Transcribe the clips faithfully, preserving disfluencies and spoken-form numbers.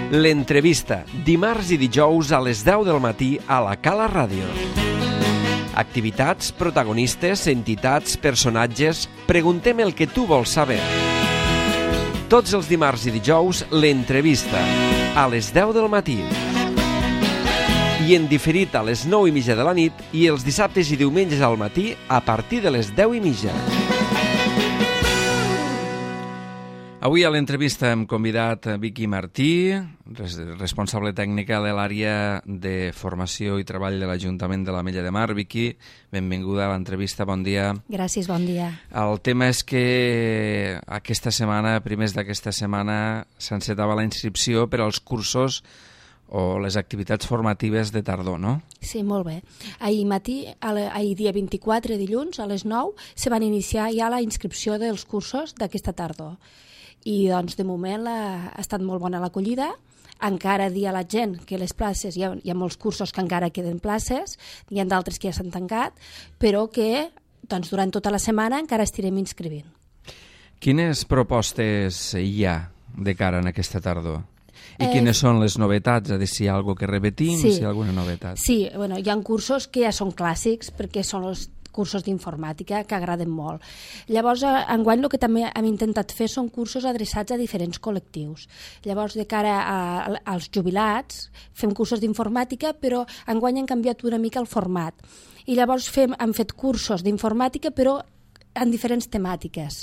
L'entrevista, dimarts i dijous a les deu del matí a la Cala Ràdio. Activitats, protagonistes, entitats, personatges... Preguntem el que tu vols saber. Tots els dimarts i dijous, l'entrevista, a les deu del matí. I en diferit a les nou i mitja de la nit i els dissabtes i diumenges al matí a partir de les deu i mitja. Avui a l'entrevista hem convidat Vicky Martí, responsable tècnica de l'àrea de formació i treball de l'Ajuntament de l'Ametlla de Mar. Vicky, benvinguda a l'entrevista, bon dia. Gràcies, bon dia. El tema és que aquesta setmana, primers d'aquesta setmana, s'encetava la inscripció per als cursos o les activitats formatives de tardor, no? Sí, molt bé. Ahir matí, ahir dia vint-i-quatre, dilluns, a les nou, se van iniciar ja la inscripció dels cursos d'aquesta tardor. I doncs de moment la, ha estat molt bona l'acollida. Encara dir a la gent que les places, hi ha, hi ha molts cursos que encara queden places, hi ha d'altres que ja s'han tancat, però que doncs, durant tota la setmana encara estirem inscrivint. Quines propostes hi ha de cara en aquesta tardor? I Eh, quines són les novetats? És a dir, si hi ha alguna que repetim, sí. si hi ha alguna novetat. Sí, bueno, hi ha cursos que ja són clàssics perquè són els cursos d'informàtica que agraden molt. Llavors, enguany el que també hem intentat fer són cursos adreçats a diferents col·lectius. Llavors, de cara a, als jubilats, fem cursos d'informàtica, però enguany hem canviat una mica el format. I llavors fem, hem fet cursos d'informàtica, però en diferents temàtiques,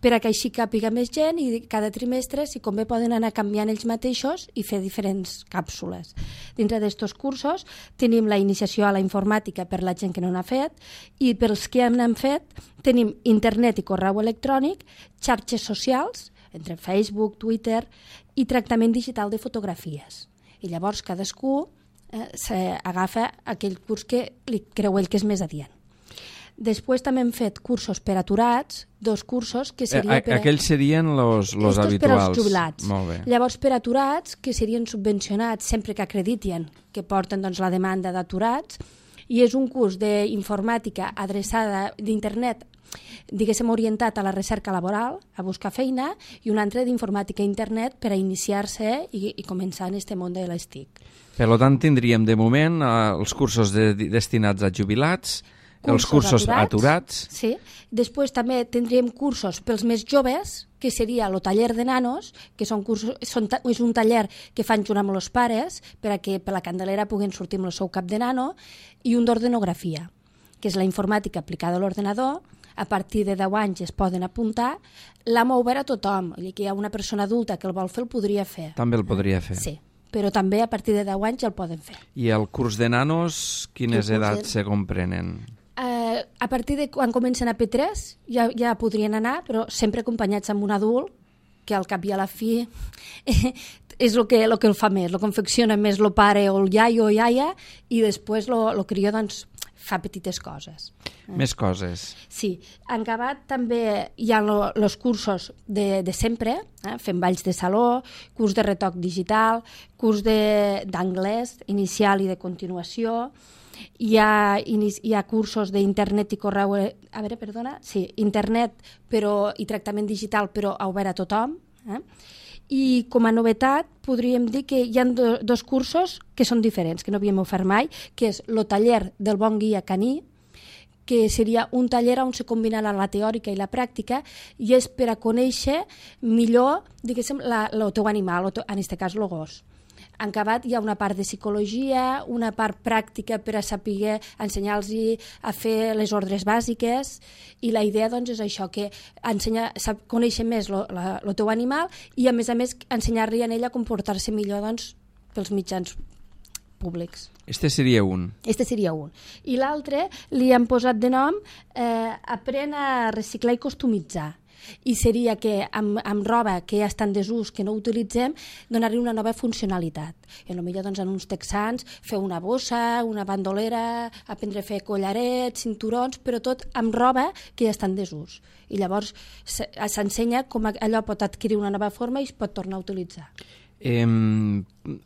per a que així càpiga més gent i cada trimestre, si convé, poden anar canviant ells mateixos i fer diferents càpsules. Dintre d'aquests cursos tenim la iniciació a la informàtica per la gent que no n'ha fet i pels que n'han fet tenim internet i correu electrònic, xarxes socials, entre Facebook, Twitter i tractament digital de fotografies. I llavors cadascú eh, agafa aquell curs que li creu ell que és més adient. Després també hem fet cursos per aturats, dos cursos que serien... Per a... Aquells serien els habituals. Per als jubilats. Molt bé. Llavors, per aturats, que serien subvencionats sempre que acrediten que porten doncs, la demanda d'aturats, i és un curs d'informàtica adreçada d'internet, diguéssim, orientat a la recerca laboral, a buscar feina, i un altre d'informàtica a internet per a iniciar-se i, i començar en aquest món de les T I C. Per tant, tindríem de moment eh, els cursos de, destinats a jubilats, els cursos aturats, aturats. Sí. Després també tindríem cursos pels més joves, que seria el taller de nanos, que són cursos, són, és un taller que fan junt amb els pares per a que per la Candelera puguin sortir amb el seu cap de nano, i un d'ordenografia, que és la informàtica aplicada a l'ordenador. A partir de deu anys es poden apuntar. L'hem obert a tothom, que hi ha una persona adulta que el vol fer, el podria fer. També el podria fer. Sí, però també a partir de deu anys el poden fer. I el curs de nanos, quines edats de... se comprenen? Uh, a partir de quan comencen a P tres ja, ja podrien anar, però sempre acompanyats amb un adult, que al cap i a la fi és el que, el que el fa més, el confecciona més el pare o el iaio o iaia, i després el crió doncs, fa petites coses. Més coses. Sí. En acabat també hi ha els cursos de, de sempre, eh? Fem balls de saló, curs de retoc digital, curs d'anglès inicial i de continuació. Hi ha, hi ha cursos d'internet i correu, a veure, perdona, sí, internet però, i tractament digital, però obert a tothom. Eh? I com a novetat podríem dir que hi ha do, dos cursos que són diferents, que no havíem ofert mai, que és el taller del bon guia caní, que seria un taller on se combina la teòrica i la pràctica, i és per a conèixer millor, diguéssim, la, el teu animal, en aquest cas el gos. En acabat hi ha una part de psicologia, una part pràctica per a saber ensenyar-los a fer les ordres bàsiques, i la idea doncs, és això, que ensenya, conèixer més el teu animal i a més a més ensenyar-li a ell a comportar-se millor doncs, pels mitjans públics. Este seria un. Este seria un. I l'altre li han posat de nom eh, Aprèn a reciclar i customitzar. I seria que amb, amb roba que ja està en desús, que no utilitzem, donar-li una nova funcionalitat. I potser doncs, en uns texans fer una bossa, una bandolera, aprendre a fer collarets, cinturons, però tot amb roba que ja està en desús. I llavors s'ensenya com allò pot adquirir una nova forma i es pot tornar a utilitzar. Eh,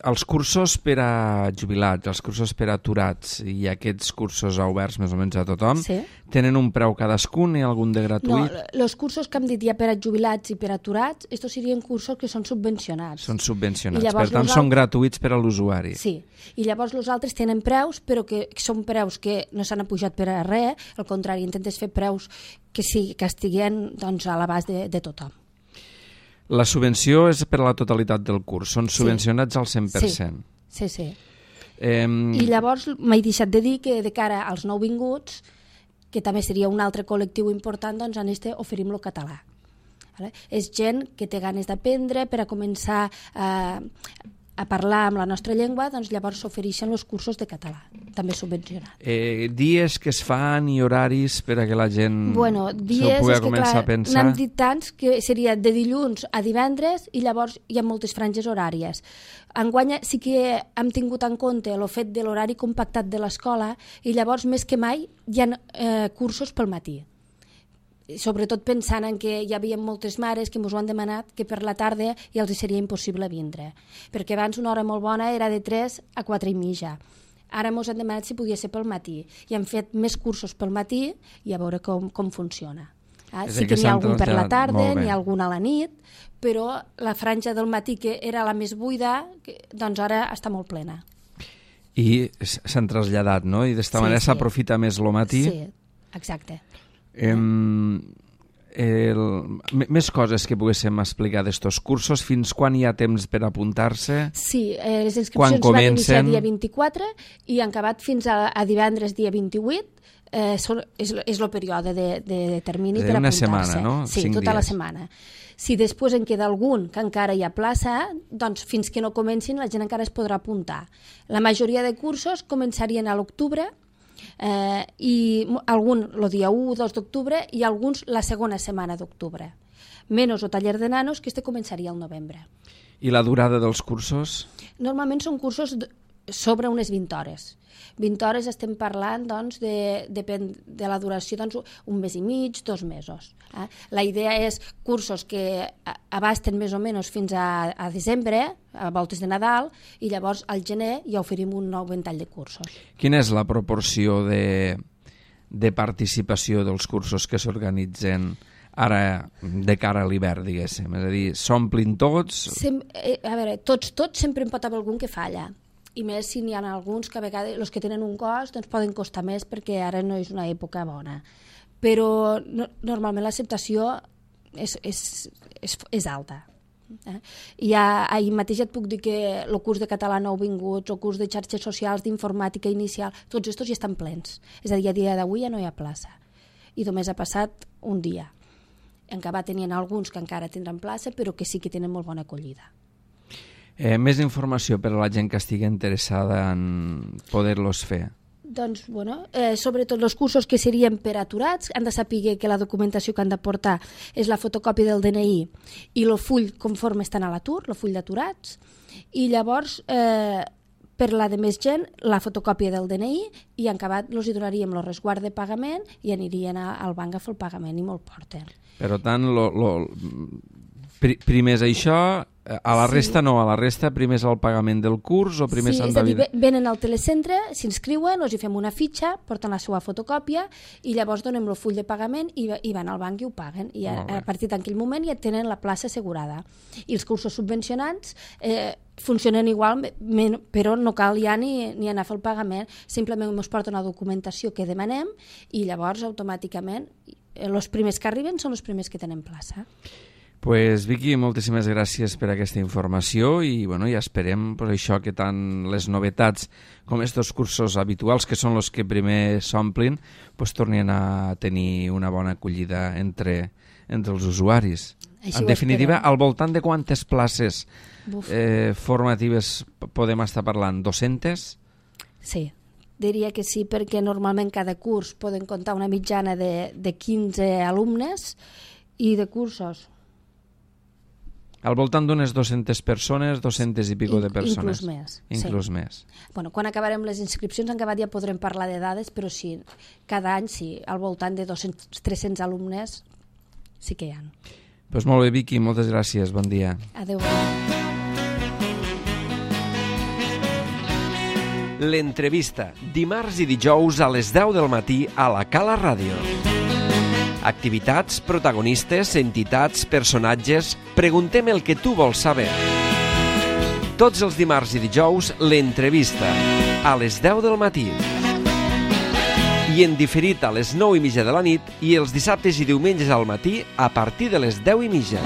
els cursos per a jubilats, els cursos per a aturats i aquests cursos oberts més o menys a tothom, sí. Tenen un preu cadascun i algun de gratuït? No, els cursos que hem dit ja per a jubilats i per a aturats, estos serien cursos que són subvencionats. Són subvencionats, per tant són gratuïts per a l'usuari. Sí, i llavors els altres tenen preus, però que són preus que no s'han apujat per a res, al contrari, intentes fer preus que, sí, que estiguen doncs, a l'abast de, de tothom. La subvenció és per a la totalitat del curs, són subvencionats sí. al cent per cent. Sí, sí. sí. Eh... I llavors m'he deixat de dir que de cara als nouvinguts, que també seria un altre col·lectiu important, doncs en este oferim lo català. Vale? És gent que té ganes d'aprendre per a començar a, a parlar amb la nostra llengua, doncs llavors s'ofereixen els cursos de català, també subvencionats. Eh, dies que es fan i horaris per a que la gent bueno, s'ho pugui començar clar, a pensar? N'hem dit tants que seria de dilluns a divendres i llavors hi ha moltes franges horàries. Enguany sí que hem tingut en compte el fet de l'horari compactat de l'escola i llavors més que mai hi ha eh, cursos pel matí. Sobretot pensant en que hi havia moltes mares que ens ho han demanat que per la tarda ja els seria impossible vindre, perquè abans una hora molt bona era de tres a quatre i mitja. Ara ens han demanat si podia ser pel matí i han fet més cursos pel matí i a veure com, com funciona. Ah, sí que n'hi ha algun per la tarda, n'hi ha algun a la nit, però la franja del matí, que era la més buida, que, doncs ara està molt plena. I s'han traslladat, no? I d'esta sí, manera sí. s'aprofita més el matí? Sí, exacte. Eh, el, més coses que poguéssim explicar d'estos cursos, fins quan hi ha temps per apuntar-se? Sí, eh, les inscripcions van iniciar dia vint-i-quatre i han acabat fins a, a divendres dia vint-i-vuit. Eh, són, és, és el període de, de, de termini de per apuntar-se. Una setmana, no? Sí, Cinc tota dies. La setmana. Si després en queda algun que encara hi ha plaça, doncs fins que no comencin la gent encara es podrà apuntar. La majoria de cursos començarien a l'octubre, Eh, i algun el dia u o dos d'octubre i alguns la segona setmana d'octubre. Menys el taller de nanos, que este començaria al novembre. I la durada dels cursos? Normalment són cursos sobre unes vint hores. vint hores estem parlant, doncs, de, depèn de la duració, doncs, un mes i mig, dos mesos. Eh? La idea és cursos que abasten més o menys fins a, a desembre, a voltes de Nadal, i llavors al gener ja oferim un nou ventall de cursos. Quina és la proporció de, de participació dels cursos que s'organitzen ara de cara a l'hivern, diguéssim? És a dir, s'omplin tots? Sem eh, a veure, tots, tots sempre en pot haver algun que falla. I més si n'hi ha alguns que a vegades els que tenen un cost doncs poden costar més perquè ara no és una època bona. Però no, normalment l'acceptació és, és, és, és alta. Eh? I ja, ahir mateix et puc dir que el curs de català nouvinguts, el curs de xarxes socials, d'informàtica inicial, tots estos ja estan plens. És a dir, a dia d'avui ja no hi ha plaça. I només ha passat un dia. Encara tenien alguns que encara tindran plaça, però que sí que tenen molt bona acollida. Eh, més informació per a la gent que estigui interessada en poder-los fer? Doncs, bueno, eh, sobretot els cursos que serien per aturats han de saber que la documentació que han de portar és la fotocòpia del D N I i el full conforme estan a l'atur, el full d'aturats, i llavors eh, per la de més gent la fotocòpia del D N I i en acabat els hi donaríem el resguard de pagament i anirien a, al banc a fer el pagament i me'l porten. Per tant, lo, lo, primer és això, a la resta sí. no, a la resta primer és el pagament del curs o primer sí, s'han de... Sí, és a dir, venen al telecentre, s'inscriuen, els hi fem una fitxa, porten la seva fotocòpia i llavors donem el full de pagament i, i van al banc i ho paguen. I a, a partir d'aquell moment ja tenen la plaça assegurada. I els cursos subvencionats eh, funcionen igual, però no cal ja ni, ni anar a fer el pagament, simplement ens porten la documentació que demanem i llavors automàticament els primers que arriben són els primers que tenen plaça. Pues Vicky, moltíssimes gràcies per aquesta informació i bueno, ja esperem pues, això que tant les novetats com aquests cursos habituals, que són els que primer s'omplin, pues, tornin a tenir una bona acollida entre, entre els usuaris. Així en definitiva, al voltant de quantes places eh, formatives podem estar parlant? dues-centes? Sí, diria que sí, perquè normalment cada curs poden comptar una mitjana de, de quinze alumnes i de cursos al voltant d'unes dues-centes persones, dues-centes i pico de persones. Inclús més. Inclús sí. més. Bueno, quan acabarem les inscripcions, en acabat ja podrem parlar de dades, però sí, cada any sí, al voltant de dos-cents a tres-cents alumnes sí que hi ha. Pues molt bé, Vicky, moltes gràcies, bon dia. Adéu. L'entrevista, dimarts i dijous a les deu del matí a la Cala Ràdio. Activitats, protagonistes, entitats, personatges... Preguntem el que tu vols saber. Tots els dimarts i dijous, l'entrevista, a les deu del matí. I en diferit a les nou i mitja de la nit i els dissabtes i diumenges al matí a partir de les deu i mitja.